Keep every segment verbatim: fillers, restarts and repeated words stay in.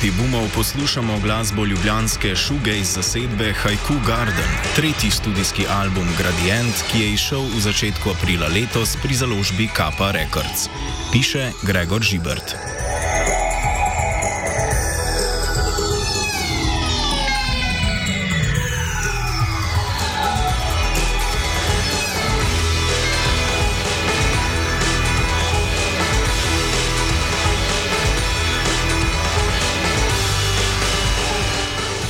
klopi Boomov poslušamo glasbo ljubljanske shoegaze zasedbe Haiku Garden, tretji studijski album Gradient, ki je izšel v začetku aprila letos pri založbi Kappa Records. Piše Gregor Žibert.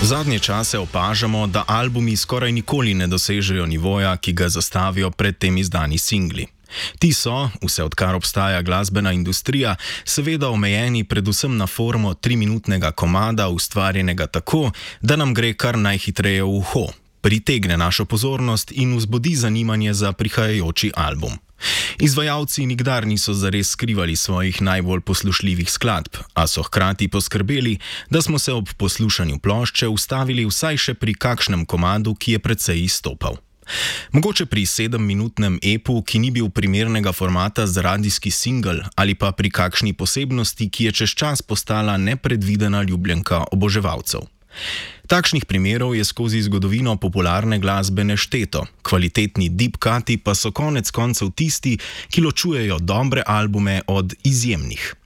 V zadnje čase opažamo, da albumi skoraj nikoli ne dosežejo nivoja, ki ga zastavijo pred tem izdani singli. Ti so, vse odkar obstaja glasbena industrija, seveda omejeni predvsem na formo triminutnega komada, ustvarjenega tako, da nam gre kar najhitreje v uho, pritegne našo pozornost in vzbudi zanimanje za prihajajoči album. Izvajalci nikdar niso zares skrivali svojih najbolj poslušljivih skladb, a so hkrati poskrbeli, da smo se ob poslušanju plošče ustavili vsaj še pri kakšnem komadu, ki je precej izstopal. Mogoče pri sedemminutnem epu, ki ni bil primernega formata za radijski singel, ali pa pri kakšni posebnosti, ki je čez čas postala nepredvidena ljubljenka oboževalcev. Takšnih primerov je skozi zgodovino popularne glasbe nešteto, kvalitetni deep cuti pa so konec koncev tisti, ki ločujejo dobre albume od izjemnih.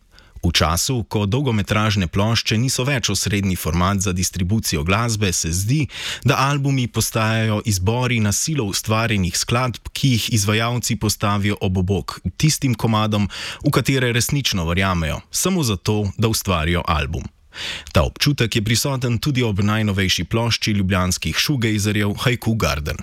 V času, ko dolgometražne plošče niso več osrednji format za distribucijo glasbe, se zdi, da albumi postajajo izbori na silo ustvarjenih skladb, ki jih izvajalci postavijo ob bok tistim komadom, v katere resnično verjamejo, samo zato, da ustvarijo album. Ta občutek je prisoten tudi ob najnovejši plošči ljubljanskih shoegazerjev Haiku Garden.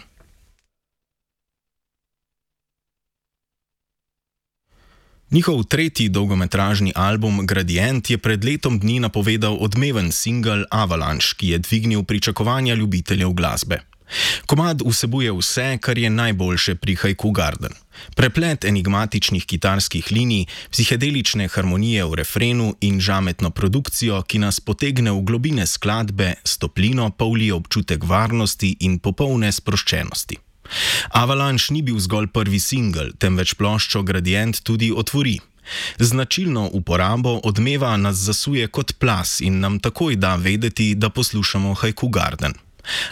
Njihov tretji dolgometražni album Gradient je pred letom dni napovedal odmeven singel Avalanche, ki je dvignil pričakovanja ljubiteljev glasbe. Komad vsebuje vse, kar je najboljše pri Haiku Garden. Preplet enigmatičnih kitarskih linij, psihedelične harmonije v refrenu in žametno produkcijo, ki nas potegne v globine skladbe, s toplino pa vlije občutek varnosti in popolne sproščenosti. Avalanche ni bil zgolj prvi singel, temveč ploščo Gradient tudi otvori. Značilno uporabo odmeva nas zasuje kot plaz in nam takoj da vedeti, da poslušamo Haiku Garden.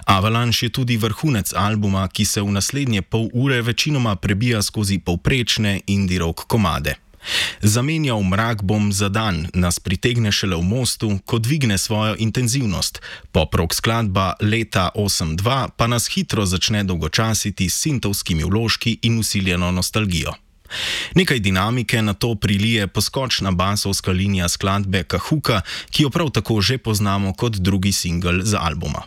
Avalanche je tudi vrhunec albuma, ki se v naslednje pol ure večinoma prebija skozi povprečne indie rock komade. Zamenjal mrak bom za dan nas pritegne šele v mostu, ko dvigne svojo intenzivnost. Pop rock skladba Leta osem dva pa nas hitro začne dolgočasiti s sintovskimi vložki in vsiljeno nostalgijo. Nekaj dinamike na to prilije poskočna basovska linija skladbe Kahuka, ki jo prav tako že poznamo kot drugi singel z albuma.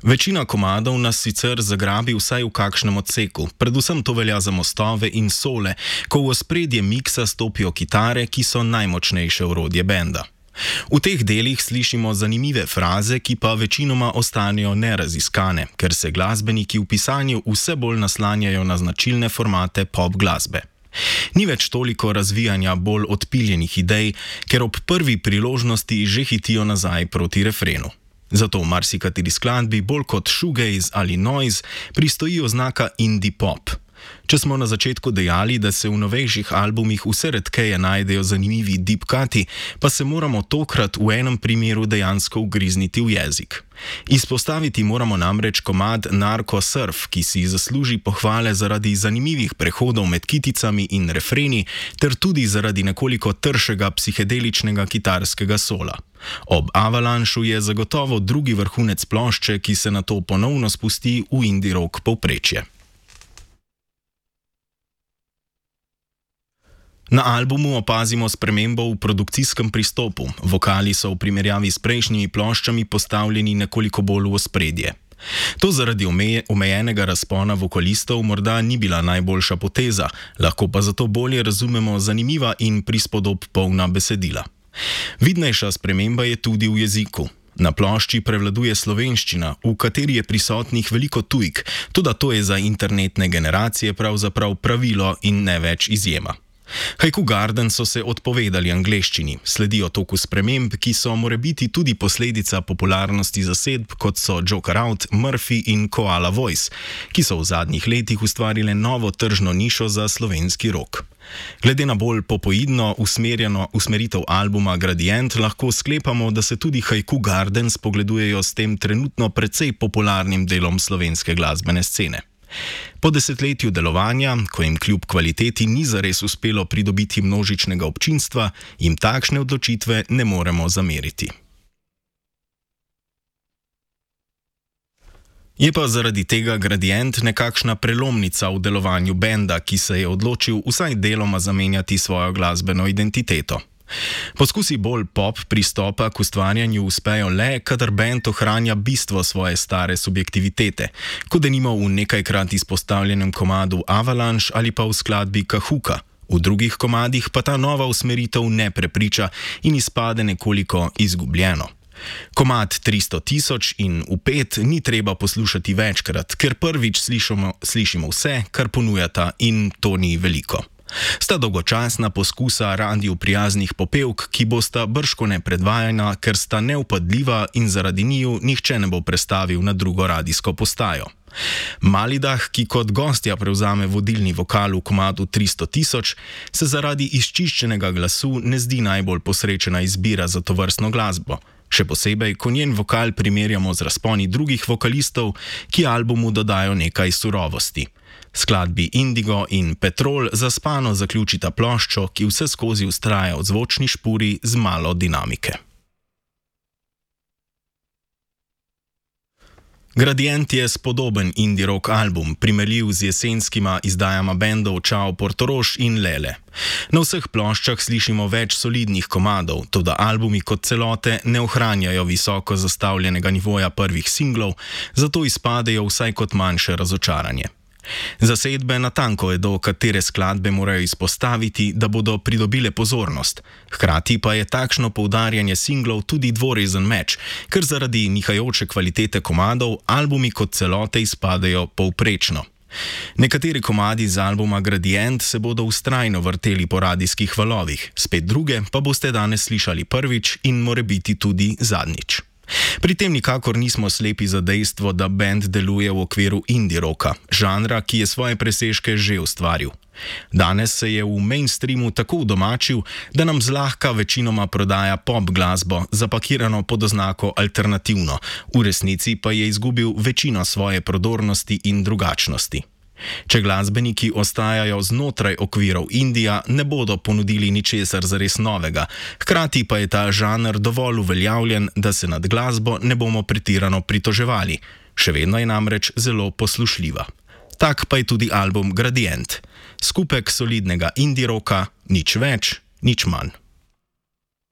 Večina komadov nas sicer zagrabi vsaj v kakšnem odseku, predvsem to velja za mostove in sole, ko v ospredje miksa stopijo kitare, ki so najmočnejše orodje benda. V teh delih slišimo zanimive fraze, ki pa večinoma ostanejo neraziskane, ker se glasbeniki v pisanju vse bolj naslanjajo na značilne formate pop glasbe. Ni več toliko razvijanja bolj odpiljenih idej, ker ob prvi priložnosti že hitijo nazaj proti refrenu. Zato v marsikateri skladbi bolj kot shoegaze ali noise pristoji oznaka indie pop. Če smo na začetku dejali, da se v novejših albumih vse redkeje najdejo zanimivi deep cuti, pa se moramo tokrat v enem primeru dejansko ugrizniti v jezik. Izpostaviti moramo namreč komad Narco Surf, ki si zasluži pohvale zaradi zanimivih prehodov med kiticami in refreni, ter tudi zaradi nekoliko tršega psihedeličnega kitarskega sola. Ob Avalanchu je zagotovo drugi vrhunec plošče, ki se nato ponovno spusti v indie rock povprečje. Na albumu opazimo spremembo v produkcijskem pristopu. Vokali so v primerjavi s prejšnjimi ploščami postavljeni nekoliko bolj v ospredje. To zaradi omejenega razpona vokalistov morda ni bila najboljša poteza, lahko pa zato bolje razumemo zanimiva in prispodob polna besedila. Vidnejša sprememba je tudi v jeziku. Na plošči prevladuje slovenščina, v kateri je prisotnih veliko tujk, toda to je za internetne generacije pravzaprav pravilo in ne več izjema. Haiku Garden so se odpovedali angleščini, sledijo toku sprememb, ki so morebiti tudi posledica popularnosti zasedb, kot so Joker Out, Murphy in Koala Voice, ki so v zadnjih letih ustvarile novo tržno nišo za slovenski rock. Glede na bolj popoidno usmerjeno usmeritev albuma Gradient lahko sklepamo, da se tudi Haiku Garden spogledujejo s tem trenutno precej popularnim delom slovenske glasbene scene. Po desetletju delovanja, ko jim kljub kvaliteti ni zares uspelo pridobiti množičnega občinstva, jim takšne odločitve ne moremo zameriti. Je pa zaradi tega Gradient nekakšna prelomnica v delovanju benda, ki se je odločil vsaj deloma zamenjati svojo glasbeno identiteto. Poskusi bolj pop pristopa k ustvarjanju uspejo le, kadar bend ohranja bistvo svoje stare subjektivitete, kot denimo v nekajkrat izpostavljenem komadu Avalanche ali pa v skladbi Kahuka. V drugih komadih pa ta nova usmeritev ne prepriča in izpade nekoliko izgubljeno. Komad tristo tisoč in Upet ni treba poslušati večkrat, ker prvič slišimo, slišimo vse, kar ponujata, in to ni veliko. Sta dolgočasna poskusa radiju prijaznih popevk, ki bosta bržkone predvajana, ker sta neupadljiva in zaradi njiju nihče ne bo prestavil na drugo radijsko postajo. Malidah, ki kot gostja prevzame vodilni vokal v komadu tristo tisoč, se zaradi izčiščenega glasu ne zdi najbolj posrečena izbira za tovrstno glasbo. Še posebej, ko njen vokal primerjamo z razponi drugih vokalistov, ki albumu dodajo nekaj surovosti. Skladbi Indigo in Petrol zaspano zaključita ploščo, ki vse skozi vztraja v zvočni špuri z malo dinamike. Gradient je spodoben indie rock album, primerljiv z jesenskima izdajama bendov Čao Portorož in Lele. Na vseh ploščah slišimo več solidnih komadov, toda albumi kot celote ne ohranjajo visoko zastavljenega nivoja prvih singlov, zato izpadejo vsaj kot manjše razočaranje. Zasedbe natanko vedo, katere skladbe morajo izpostaviti, da bodo pridobile pozornost. Hkrati pa je takšno poudarjanje singlov tudi dvorezen meč, ker zaradi nihajoče kvalitete komadov albumi kot celote izpadejo povprečno. Nekateri komadi z albuma Gradient se bodo vztrajno vrteli po radijskih valovih, spet druge pa boste danes slišali prvič in morebiti tudi zadnjič. Pri tem nikakor nismo slepi za dejstvo, da bend deluje v okviru indie rocka, žanra, ki je svoje presežke že ustvaril. Danes se je v mainstreamu tako udomačil, da nam zlahka večinoma prodaja pop glasbo, zapakirano pod oznako alternativno, v resnici pa je izgubil večino svoje prodornosti in drugačnosti. Če glasbeniki ostajajo znotraj okvirov indija, ne bodo ponudili ničesar zares novega, hkrati pa je ta žanr dovolj uveljavljen, da se nad glasbo ne bomo pretirano pritoževali. Še vedno je namreč zelo poslušljiva. Tak pa je tudi album Gradient. Skupek solidnega indie rocka, nič več, nič manj.